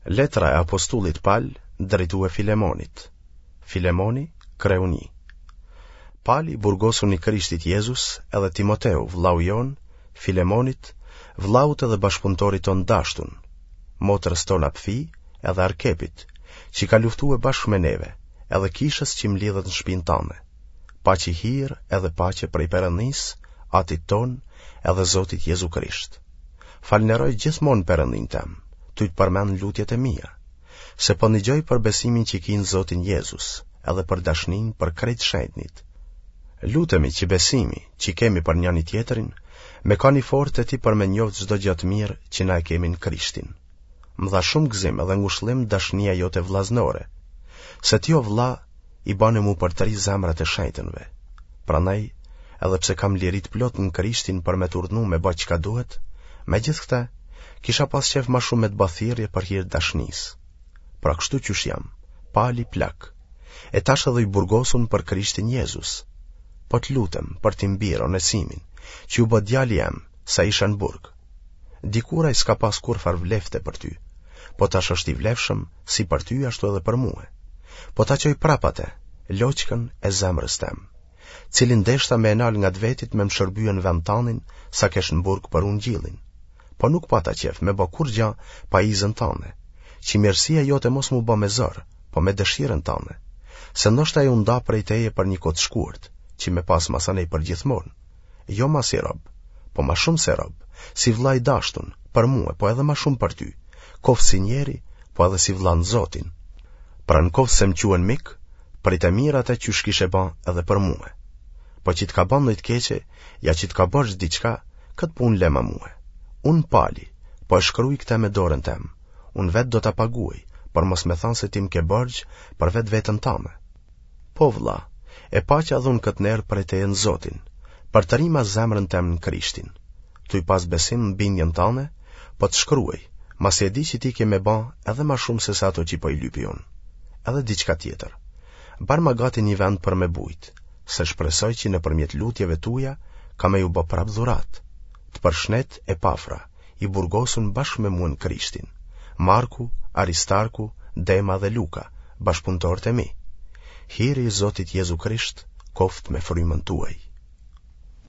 Letra e apostullit Pal drejtue Filemonit. Filemoni, kreu 1. Pali, i burgosun i Krishtit Jezus, edhe Timoteu, vllau jonë, Filemonit, vllaut edhe bashkëpunëtorit tonë dashtun, motrës tonë Apfi, edhe Arkepit, që ka luftue bashkë me neve, edhe kishës që mlidhet në shpinë tane. Paçi hir edhe paqe prej Perëndisë, Atit tonë, edhe Zotit Jezu Krisht. Falënderoj gjithmonë Perëndinë tem, tuj të përmend në lutjet e mia, se po nigjoj për besimin që ki në Zotin Jezus, edhe për dashninë për krejt shenjtnit. Lutemi që besimi që kemi për njëni tjetrin, me kanë i fortë te ti për me njoftë çdo gjë të mirë që na e kemi në Krishtin. Më dha shumë gëzim edhe ngushëllim dashnia jote vllaznore, se ti o vlla i bane m'u përtri zemrat e shenjtënve. Prandaj, edhe pse kam liri të plotë në Krishtin për me të urdhnu me ba çka duhet, megjithëkëtë, kisha pas qejf ma shumë me të ba thirrje për hir të dashnisë. Pra kështu qysh jam, Pali plak, e tash edhe i burgosun për Krishtin Jezus. Po të lutem për tim bir Onesimin, që u bë djali jem, sa isha në burg. Dikur ai s'ka pas kurrfarë vlefte për ty, po tash është i vlefshëm si për ty ashtu edhe për mue. Po ta çoj prapë atë, loçkën e zemrës tem, cilin deshta me e nalë nga të vetit me më shërbye në vend tanin sa kesh në burg për ungjillin. Po nuk pata qejf me bë kurrgja pa izën tane, që mirësia jote mos m'u bë me zor, po me dëshirën tane, se ndoshta ai u nda prej teje për një kohë të shkurt, që me pas masanej përgjithmonë. Jo ma si rob, po ma shumë se rob, si vlla i dashtun, për mue, po edhe ma shumë për ty, koftë si njeri, po edhe si vlla në Zotin. Pra në koftë se më quen mik, prite mirë atë qysh kishe ba edhe për mue. Po që të ka ba ndonjë të keqe, ja që të ka borxh diçka, këtë punë lema mue. Unë Pali, po e shkruj këtë me dorën tem, unë vetë do ta paguaj, për mos me thanë se ti më ke borxh për vetveten tame. Po vëlla, e paça edhe unë këtë nder prej teje në Zotin, përtërima zemrën tem në Krishtin. Tuj pas besim në bindjen tane, po të shkruaj, masi e di që ti ke me ba edhe ma shumë se sa ato që po i lypi unë. Edhe diçka tjetër. Barma gati një vend për me bujt, se shpresoj që nëpërmjet lutjeve tuja ka me ju bë prapë dhuratë. Të përshnet Epafra, i burgosun bashkë me mua në Krishtin, Marku, Aristarku, Dema dhe Luka, bashkëpunëtorët e mi. Hiri i Zotit Jezu Krisht koftë me frymën tuaj.